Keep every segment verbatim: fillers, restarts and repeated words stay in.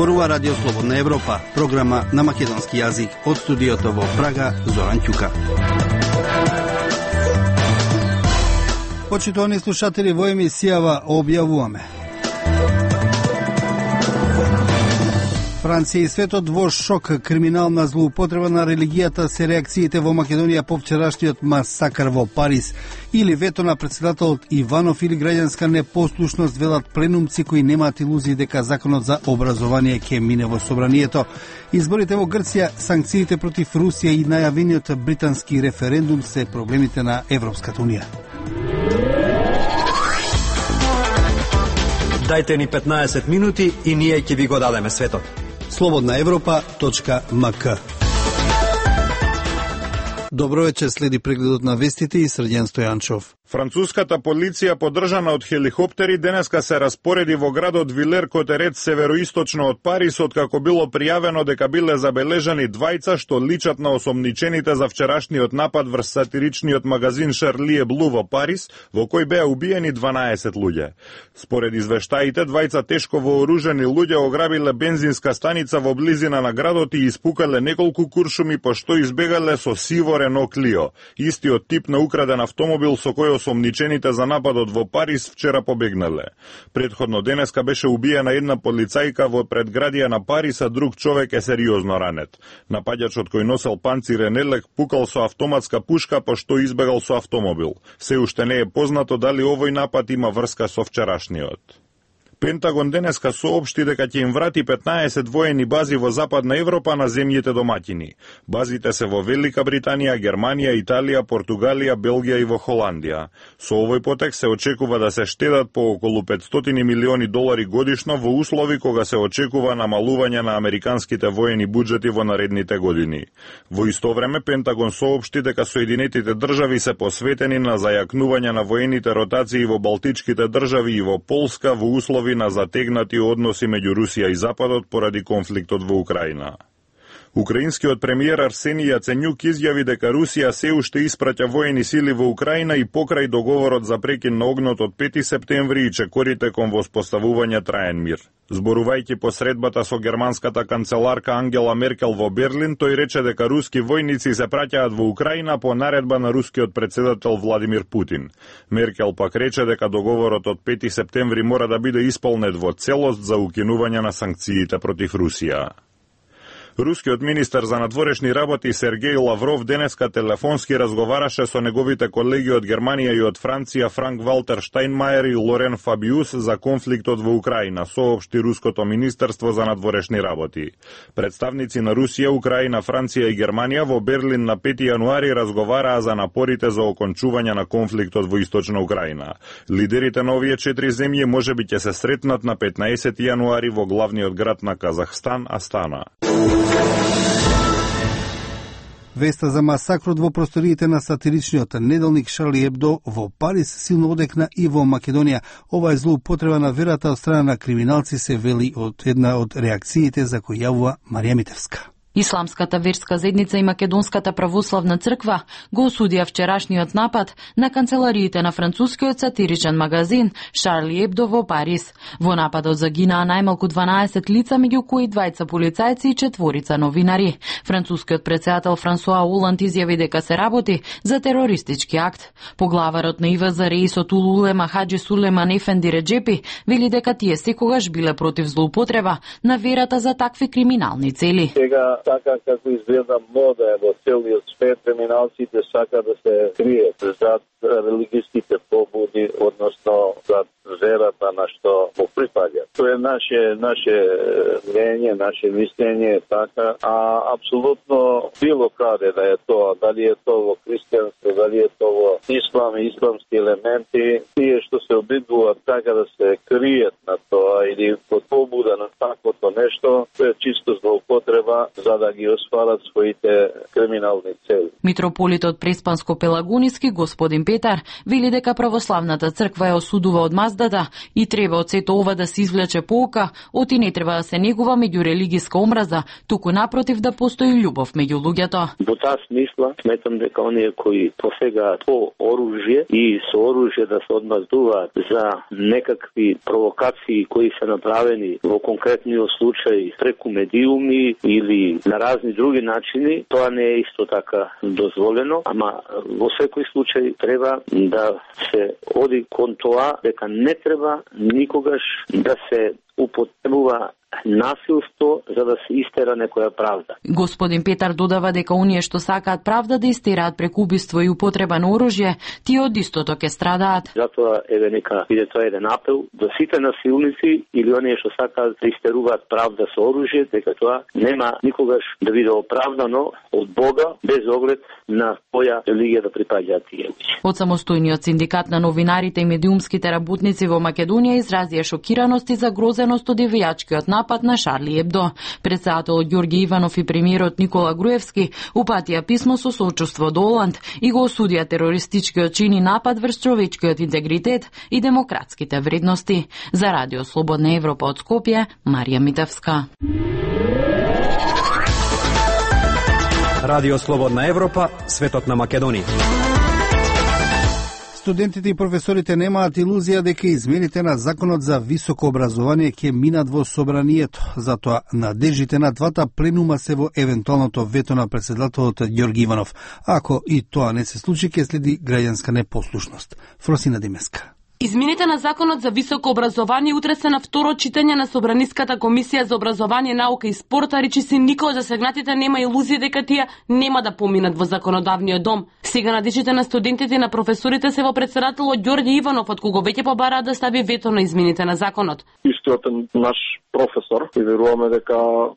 Зборува Радио Слободна Европа, програма на македонски јазик од студиото во Прага, Зоран Ќука. Почитувани слушатели, во емисијава објавуваме: Франција и светот во шок, криминална злоупотреба на религијата се реакциите во Македонија по вчерашниот масакар во Париз, или вето на председателот Иванов, или граѓанска непослушност, велат пленумци кои немаат илузии дека законот за образование ќе мине во собранието. Изборите во Грција, санкциите против Русија и најавениот британски референдум се проблемите на Европската унија. Дајте ни петнаесет минути и ние ќе ви го дадеме светот. слободна европа точка ем ка. Добро вечер, следи прегледот на вестите и Срđan Стојанчов. Француската полиција, подржана од хеликоптери, денеска се распореди во градот Вилер-Котерет, североисточно од Париз, откако било пријавено дека биле забележани двајца што личат на осомничените за вчерашниот напад врз сатиричниот магазин Шарли Еблу во Париз, во кој беа убиени дванаесет луѓе. Според извештаите, двајца тешко вооружени луѓе ограбиле бензинска станица во близина на градот и испукале неколку куршуми, пошто избегале со сиво Рено Клио, истиот тип на украден автомобил со кој осомничените за нападот во Париз вчера побегнале. Предходно денеска беше убиена една полицајка во предградија на Париз, а друг човек е сериозно ранет. Напаѓачот кој носел панцирен елек пукал со автоматска пушка, пошто избегал со автомобил. Се уште не е познато дали овој напад има врска со вчерашниот. Пентагон денеска соопшти дека ќе им врати петнаесет воени бази во Западна Европа на земјите домаќини. Базите се во Велика Британија, Германија, Италија, Португалија, Белгија и во Холандија. Со овој потек се очекува да се штедат по околу петстотини милиони долари годишно во услови кога се очекува намалување на американските воени буџети во наредните години. Во исто време Пентагон соопшти дека Соединетите држави се посветени на зајакнување на воените ротации во Балтичките држави и во Полска во услови на затегнати односи меѓу Русија и Западот поради конфликтот во Украина. Украинскиот премиер Арсени Јаценјук изјави дека Русија се уште испраќа воени сили во Украина и покрај договорот за прекин на огнот од пети септември и чекорите кон воспоставување траен мир. Зборувајќи по средбата со германската канцеларка Ангела Меркел во Берлин, тој рече дека руски војници се праќаат во Украина по наредба на рускиот председател Владимир Путин. Меркел пак рече дека договорот од пети септември мора да биде исполнет во целост за укинување на санкциите против Русија. Рускиот министер за надворешни работи Сергеј Лавров денеска телефонски разговараше со неговите колеги од Германија и од Франција Франк Валтер Штајнмајер и Лорен Фабиус за конфликтот во Украина, соопшти Руското министерство за надворешни работи. Представници на Русија, Украина, Франција и Германија во Берлин на пети јануари разговараа за напорите за окончување на конфликтот во Источна Украина. Лидерите на овие четири земји можеби ќе се сретнат на петнаесети јануари во главниот град на Казахстан, Астана. Веста за масакрот во просториите на сатиричниот неделник Шарли Ебдо во Париз силно одекна и во Македонија. Ова е злоупотреба на верата од страна на криминалци, се вели од една од реакциите за кој јавува Марија Митевска. Исламската верска заедница и Македонската православна црква го осудија вчерашниот напад на канцелариите на францускиот сатиричен магазин Шарли Ебдо во Париз. Во нападот загинаа најмалку дванаесет лица, меѓу кои двајца полицајци и четворица новинари. Францускиот претседател Франсуа Оланд изјави дека се работи за терористички акт. Поглаварот на И В З Р Исот Улулема Хаџи Сулеман Ефенди Реџепи вели дека тие секогаш биле против злоупотреба на верата за такви криминални цели. Така како изгледа мода во целиот свет, криминалците сака да се кријат зад религиските побуди, односно зад верата на што му припаѓа. Тоа е наше наше мнение, наше мислење така, а апсолутно било каде да е тоа, дали е тоа во христијанство, дали е тоа во ислам и исламски елементи, тие што се обидуваат така да се кријат на тоа или под побуда на таквото нешто, тоа е чисто злоупотреба за за да ги остварат своите криминални цели. Митрополитот Преспанско-Пелагониски господин Петар вели дека православната црква ја осудува одмаздата и треба од сето ова да се извлече pouка, оти не треба да се негува меѓурелигиска омраза, туку напротив да постои љубов меѓу луѓето. Во таа смисла сметам дека оние кои посегаат по оружје и со оружје да се одмаздуваат за некакви провокации кои се направени во конкретниот случај преку медиуми или на разни други начини, тоа не е исто така дозволено, ама во секој случај треба да се оди кон тоа дека не треба никогаш да се употребува насилство за да се истера некоја правда. Господин Петар додава дека оние што сакаат правда да истераат преку убиство и употреба на оружје, тие од истото ќе страдаат. Затоа еве нека биде тоа еден апел до сите насилници или оние што сакаат да истеруваат правда со оружје, дека тоа нема никогаш да биде оправдано од Бога без оглед на која религија да припаѓаат тие. Од самостојниот синдикат на новинарите и медиумските работници во Македонија изразија шокираност и загрозеност од девијачкиот напад на Шарли Ебдо. Председателот Ѓорги Иванов и премиерот Никола Груевски упатија писмо со соочувство до Оланд и го осудија терористичкиот чин и напад врз човечкиот интегритет и демократските вредности. За Радио Слободна Европа од Скопје, Марија Митевска. Радио Слободна Европа, светот на Македонија. Студентите и професорите немаат илузија дека измените на Законот за високо образование ќе минат во собранието. Затоа надежите на двата пленума се во евентуалното вето на председателот Ѓорги Иванов. Ако и тоа не се случи, ќе следи граѓанска непослушност. Фросина Димеска. Измените на Законот за високо образование утре се на второ читање на Собраниската комисија за образование, наука и спорт, а речиси никој од засегнатите нема илузија дека тие нема да поминат во законодавниот дом. Сега надежите на студентите и на професорите се во председателот Ѓорги Иванов, од кого веќе побараат да стави вето на измените на законот. Истиот наш професор и веруваме дека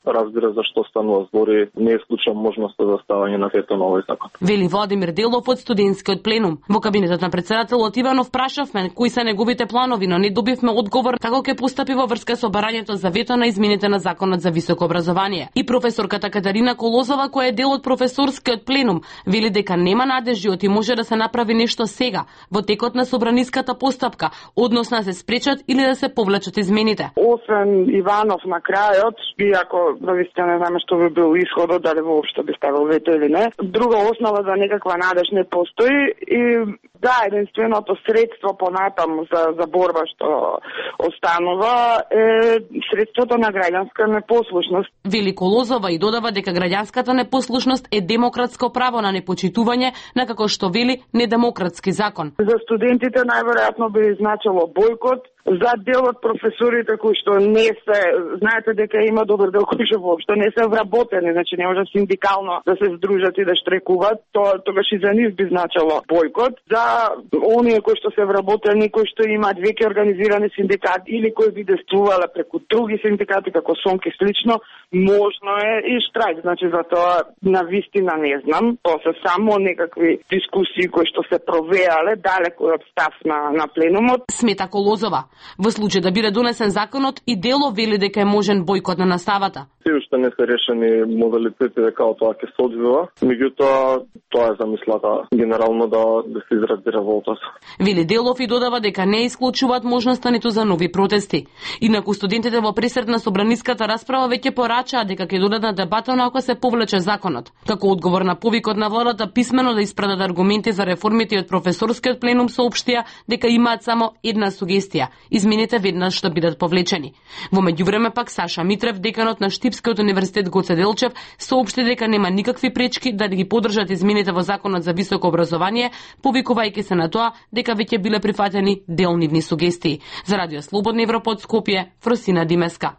разбира зашто станува збори, не е случај можноста за ставање на вето на овој закон. Вели Владимир Делов од студентскиот пленум. Во кабинетот на председателот Иванов прашавме кои се неговите планови, но не добивме одговор како ќе постапи во врска со барањето за вето на измените на Законот за високо образование. И професорката Катарина Колозова, која е дел од професорскиот пленум, вели дека нема надежи оти може да се направи нешто сега во текот на собраниската постапка, односно да се спречат или да се повлечат измените. Освен Иванов на крајот, иако навистина не знаме што би бил исходот, дали воопшто би ставил вето или не, друга основа за некаква надеж не постои и да, единственото средство понатаму за, за борба што останува е средството на граѓанска непослушност. Вели Колозова и додава дека граѓанската непослушност е демократско право на непочитување на, како што вели, недемократски закон. За студентите најверојатно би значило бойкот, за дел од професорите кои што не се, знаете дека има добар дел кои што воопшто не се вработени, значи не може синдикално да се здружат и да штрекуваат, тоа тогаш и за нив би значило бойкот. За оние кои што се вработени, кои што имаат веќе организирани синдикати или кои би действувале преку други синдикати како СОНК и слично, можно е и штрајк, значи за тоа на вистина не знам, тоа се само некакви дискусии кои што се провеале далеку од став на, на пленумот. Смета Колозова. Во случај да биде донесен законот и Дело вели дека е можен бойкот на наставата. Се уште не се решени модалитети дека тоа ќе се одвива, меѓутоа тоа е замислата генерално да, да се изрази револта. Вели Делов и додава дека не исклучуваат можноста ниту за нови протести. Инаку студентите во пресред на собраниската расправа веќе порачаат дека ќе додат на дебата ако се повлече законот. Како одговор на повикот на владата писмено да испратат аргументи за реформите од професорскиот пленум соопштија дека имаат само една сугестија: измените веднаш што бидат повлечени. Во меѓувреме пак Саша Митрев, деканот на Штипскиот универзитет Гоце Делчев, соопшти дека нема никакви пречки да ги поддржат измените во Законот за високо образование, повикувајќи се на тоа дека веќе биле прифатени дел нивни сугестии. За Радио Слободна Европа од Скопје, Фросина Димеска.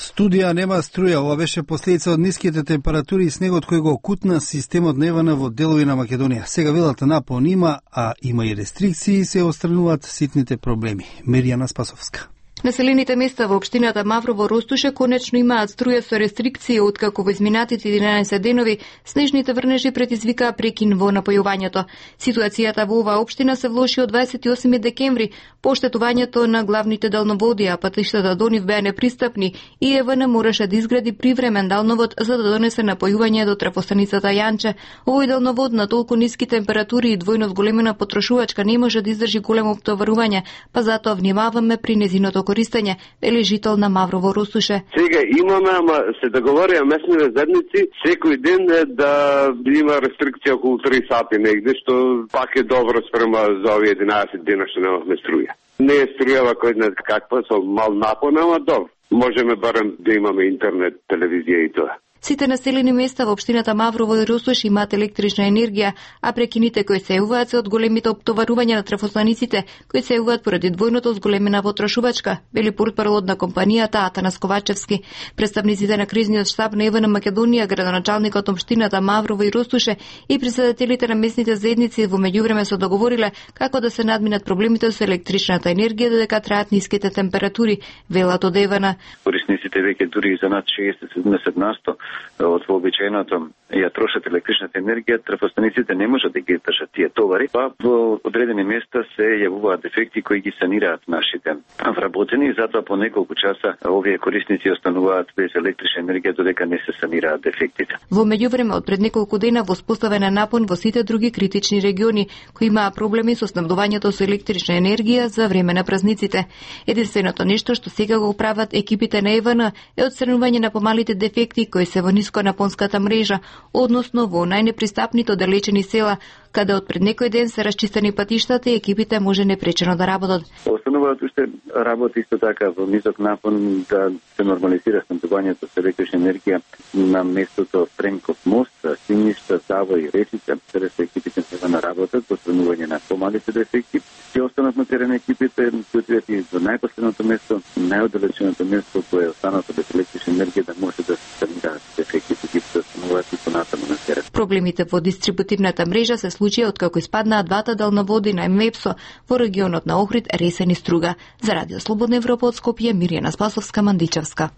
Студија нема струја, ова беше последица од ниските температури и снегот кој го окутна системот на Евана во делови на Македонија. Сега велата напон има, а има и рестрикции и се отстрануваат ситните проблеми. Меријана Спасовска. Населените места во општината Маврово-Ростуше конечно имаат струја со рестрикции, откако во изминатите единаесет денови снежните врнежи предизвикаа прекин во напојувањето. Ситуацијата во оваа општина се влоши од дваесет и осми декември по оштетувањето на главните далноводи, а патиштата до нив беа непристапни и Е В Н мораше да изгради привремен далновод за да донесе напојување до трафостаницата Јанче. Овој далновод на толку ниски температури и двојно зголемена потрошувачка не може да издржи големо оптоварување, па затоа внимаваме при незиното користење, вели жител на Маврово-Ростуше. Сега имаме, ама се договорија местните заедници секој ден да има рестрикција околу три сати негде, што пак е добро спрема за овие единаесет дена што немавме струја. Не е струјава кој не каква, со мал напон, ама добро. Можеме барем да имаме интернет, телевизија и тоа. Сите населени места во општината Маврово и Ростуш имаат електрична енергија, а прекините кои се јавуваат се од големите оптоварувања на трафостаниците, кои се јавуваат поради двојното зголемена потрошувачка, вели портпаролот на компанијата Атанас Ковачевски. Представниците на кризниот штаб на Е В Н Македонија, градоначалникот општината Маврово и Ростуше и председателите на местните заедници во меѓувреме се договориле како да се надминат проблемите со електричната енергија додека траат ниските температури, велат од Е В Н. Корисниците веќе дури за над шеесет до седумдесет насто од вообичаеното ја трошат електричната енергија, трафостаниците не можат да ги држат тие товари, па во одредени места се јавуваат дефекти кои ги санираат нашите вработени и затоа по неколку часа овие корисници остануваат без електрична енергија додека не се санираат дефектите. Во меѓувреме од пред неколку дена воспоставен е напон во сите други критични региони кои имаа проблеми со снабдувањето со електрична енергија за време на празниците. Единственото нешто што сега го прават екипите на Е В Н е отстранување на помалите дефекти кои се во нисконапонската мрежа, односно во најнепристапните оддалечени села, каде од пред некој ден се расчистени патиштата и екипите може непречено да работат. Остануваат уште работи исто така во низок напон да се нормализира снабдувањето со електрична енергија на местото Френков мост, Синишта, Сава и Речица, каде се екипите се на работат во отстранување на помалите дефекти. Ќе останат на терен екипите, кои отидат и до најпоследното место, најоддалеченото место кое е останато без електрична енергија да може да се санираат дефектите и да стануваат и понатаму на терен. Проблемите во дистрибутивната мрежа се случија откако испаднаа двата далноводи на МЕПСО во регионот на Охрид, Ресен и Струга. За Радио Слободна Европа од Скопје, Мирјана Спасовска, Мандичевска.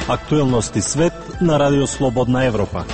Актуелности свет на Радио Слободна Европа.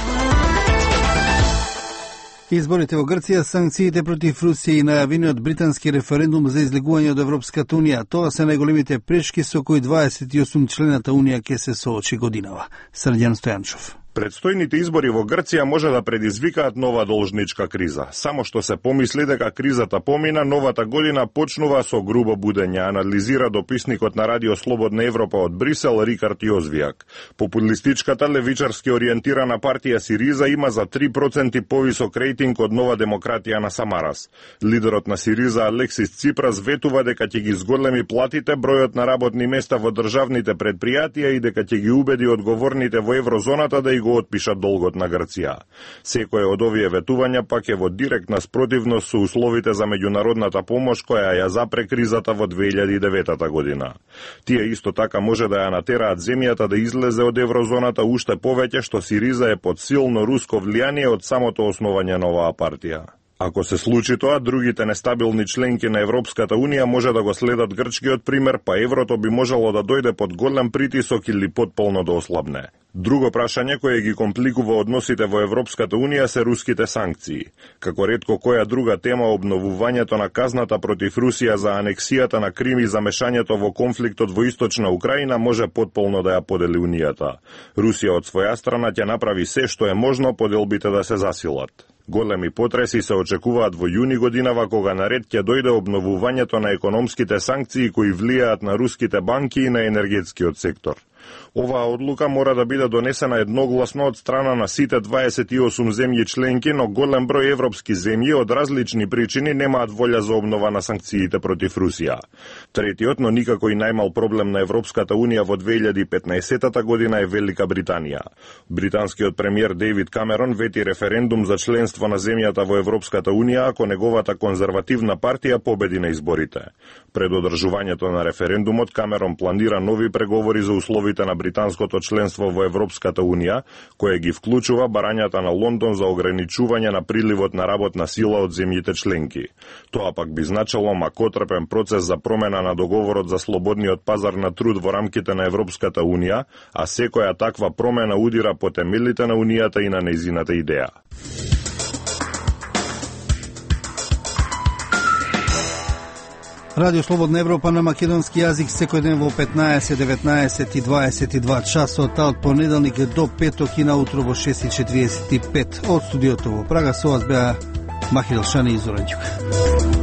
Изборите во Грција, санкциите против Русија и најавениот британски референдум за излегување од Европската Унија, тоа се најголемите прешки со кои дваесет и осум члената Унија ќе се соочи годинава. Срđan Стојанчов. Предстојните избори во Грција може да предизвикаат нова должничка криза. Само што се помисли дека кризата помина, новата година почнува со грубо будење, анализира дописникот на Радио Слободна Европа од Брисел Рикард Јозвијак. Популистичката левичарски ориентирана партија Сириза има за три проценти повисок рейтинг од Нова демократија на Самарас. Лидерот на Сириза Алексис Ципрас ветува дека ќе ги зголеми платите, бројот на работни места во државните предпријатија и дека ќе ги убеди одговорните во еврозоната да и го отпишат долгот на Грција. Секој од овие ветувања пак е во директна спротивност со условите за меѓународната помош која ја запре кризата во две илјади и девета година. Тие исто така може да ја натераат земјата да излезе од еврозоната уште повеќе што Сириза е под силно руско влијание од самото основање на оваа партија. Ако се случи тоа, другите нестабилни членки на Европската Унија може да го следат грчкиот пример, па еврото би можело да дојде под голем притисок или потполно да ослабне. Друго прашање кое ги компликува односите во Европската Унија се руските санкции. Како ретко која друга тема, обновувањето на казната против Русија за анексијата на Крим и замешањето во конфликтот во источна Украина може потполно да ја подели Унијата. Русија од своја страна ќе направи се што е можно поделбите да се засилат. Големи потреси се очекуваат во јуни годинава, кога наред ќе дојде обновувањето на економските санкции кои влијаат на руските банки и на енергетскиот сектор. Оваа одлука мора да биде донесена едногласно од страна на сите дваесет и осум земји членки, но голем број европски земји од различни причини немаат волја за обнова на санкциите против Русија. Третиот, но никако и најмал проблем на Европската Унија во две илјади и петнаесета година е Велика Британија. Британскиот премиер Дейвид Камерон вети референдум за членство на земјата во Европската Унија ако неговата конзервативна партија победи на изборите. Пред одржувањето на референдумот, Камерон планира нови преговори за условите преговорите на британското членство во Европската Унија, кое ги вклучува барањата на Лондон за ограничување на приливот на работна сила од земјите членки. Тоа пак би значило макотрпен процес за промена на договорот за слободниот пазар на труд во рамките на Европската Унија, а секоја таква промена удира по темелите на Унијата и на нејзината идеја. Радио Слободна Европа на македонски јазик секој ден во петнаесет, деветнаесет и дваесет и два часот, а од понеделник до петок и наутро во шест и четириесет и пет. Од студиото во Прага со вас беа Махил Шани и Зоран Ѓука.